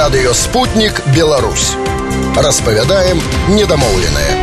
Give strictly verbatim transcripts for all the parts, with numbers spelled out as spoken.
Радыё Спутнік Беларусь. Распавядаем недамоўленае.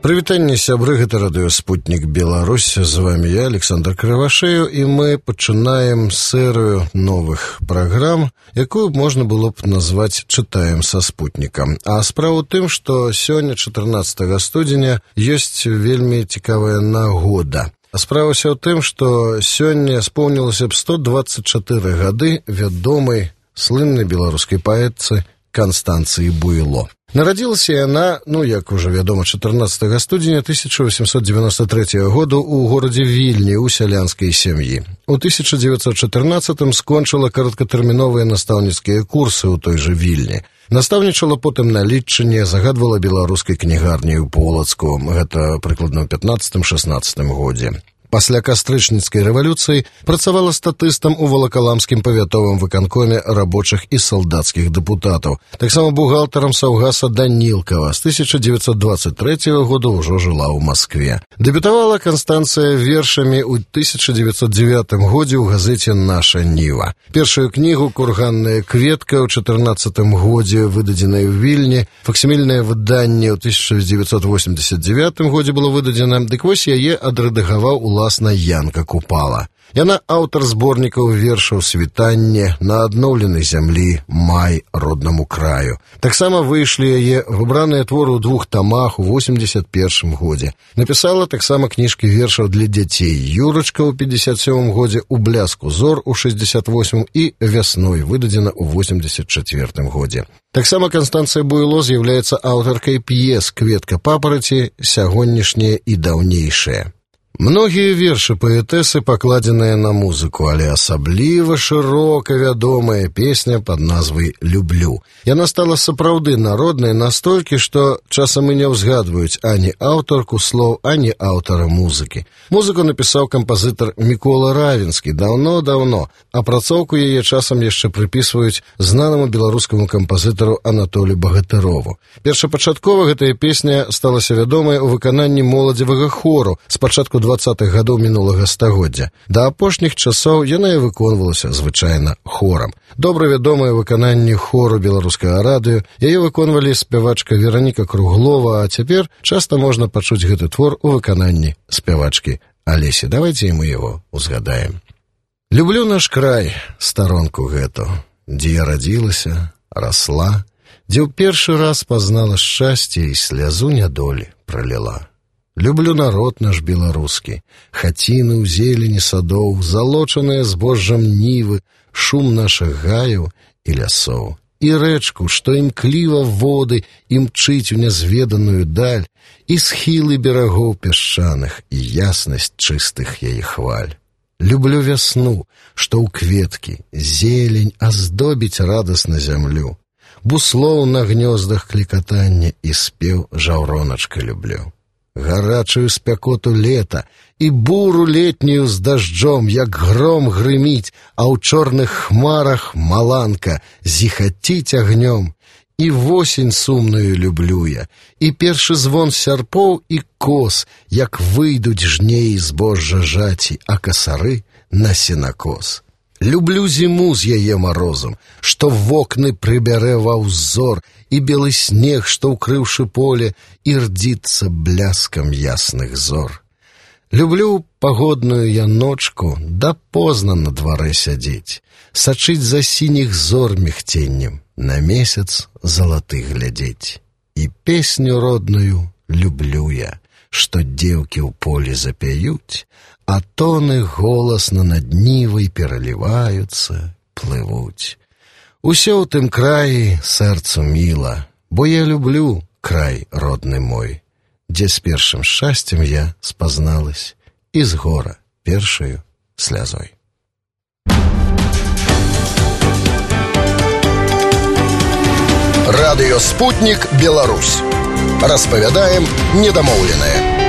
Прывітанне, сябры, гэта Радыё Спутнік Беларусь. З вами я, Александр Кривошею, і мы пачынаем серыю новых праграм, якую можна было б назваць «Чытаем са спутнікам». А справа ў тым, што сёння, чатырнаццатага студзеня, ёсць вельмі цікавая нагода. А справа ўсё ў тым, што сёння споўнілася б сто дваццаць чатыры гады вядомай слыннай беларускай паэтцы Канстанцыі Буйло. Нарадзілася яна, ну, як ужо вядома, чатырнаццатага студзеня тысяча восемьсот девяносто третьего году ў горадзе Вільні ў сялянскай сям'і. У тысяча девятьсот чатырнаццатым скончыла кароткатэрміновыя настаўніцкія курсы ў той жа Вільні. Настаўнічала потым на Літчыне, загадвала беларускай кнігарні ў Полацку, гэта прыкладна ў пятнаццатым-шаснаццатым годзе. Пасля кастрычніцкай рэвалюцыі працавала статыстам у Валакаламскім павятовым выканкоме рабочых і салдацкіх дэпутатаў. Таксама бухгалтарам саўгаса Данілкава. З тысяча девятьсот двадцать третьего года ўжо жыла ў Маскве. Дэбютавала Канстанцыя вершамі ў тысяча девятьсот девятым годзе ў газеце «Наша Ніва». Першую кнігу «Курганная кветка» ў чатырнаццатым годзе, выдадзеная ў Вільні. Факсімільнае выданне ў тысяча девятьсот восемьдесят девятым годзе было выдадзена. Дык вось яе адрэдагаваў у Уласна Янка Купала. Яна аўтар зборнікаў вершаў «Світанне», «На адноўленай зямлі», «Май роднаму краю». Таксама выйшлі яе выбраныя творы ў двух тамах у восемьдесят первым годзе. Напісала таксама кніжкі вершаў для дзяцей «Юрачка» ў пятьдесят сёмым годзе, «У бляску зор» у шэсцьдесят восьмым і «Вясной» выдадзена ў восемьдесят четвёртым годзе. Таксама Канстанцыя Буйло з'яўляецца аўтаркай п'ес «Кветка папараці», «Сягонняшняе» і «Даўнейшае». Многія вершы паэтэсы пакладзеныя на музыку, але асабліва шырока вядомая песня пад назвай «Люблю». Яна стала сапраўды народнай настолькі, што часам і не ўзгадваюць ані аўтарку слоў, ані аўтара музыкі. Музыку напісаў кампазітар Мікола Равінскі даўно-даўно, а працоўку яе часам яшчэ прыпісваюць знанаму беларускаму кампазітару Анатолію Багатырову. Першапачаткова гэтая песня сталася вядомай у выкананні моладзевага хору з пачатку двадцатых гадоў мінулага стагоддзя. Да апошніх часоў яна і выконвалася звычайна хорам. Добра вядомае выкананне хору беларускага радыё, яе выконвалі спявачка Вераніка Круглова, а цяпер часта можна пачуць гэты твор у выкананні спявачкі Алесі. Давайце і мы яго узгадаем. Люблю наш край, старонку гэту, дзе я радзілася, расла, дзе ў першы раз пазнала шчасце і слязу нядолі праліла. Люблю народ наш беларускі, хаціны ў зелені садоў, залочаныя збожжам нівы, шум нашых гаяў і лясоў. І рэчку, што імкліва воды імчыць у нязведаную даль, і схілы берагоў пясчаных, і яснасць чыстых яе хваль. Люблю вясну, што ў кветкі, зелень аздобіць радасна зямлю. Буслоў на гнёздах клікатанне і спеў жаўроначка люблю. Гарачую спякоту лета і буру летнюю з дажджом, як гром грыміць, а ў чорных хмарах маланка зіхаціць агнём. І восень сумную люблю я, і першы звон сярпоў і кос, як выйдуць жнеі збожжа жаті, а касары на сенакос. Люблю зіму з яе марозам, што вокны прыбярэ ва ўзор, і белы снег, што ўкрыўшы поле, ірдзіцца бляскам ясных зор. Люблю пагодную я ночку, да позна на дварэ сядзець, сачыць за сініх зор мігценнем, на месяц залаты глядзець. І песню родную люблю я, што дзеўкі ў полі запяюць, а тоны голасна над нівай пераліваюцца, плывуць. Усё ў тым краі сэрцу міла, бо я люблю край родны мой, дзе з першым шчасцем я спазналась і з гора першаю слязой. Радыё Спутнік Беларусь. Распавядаем недамоўленае.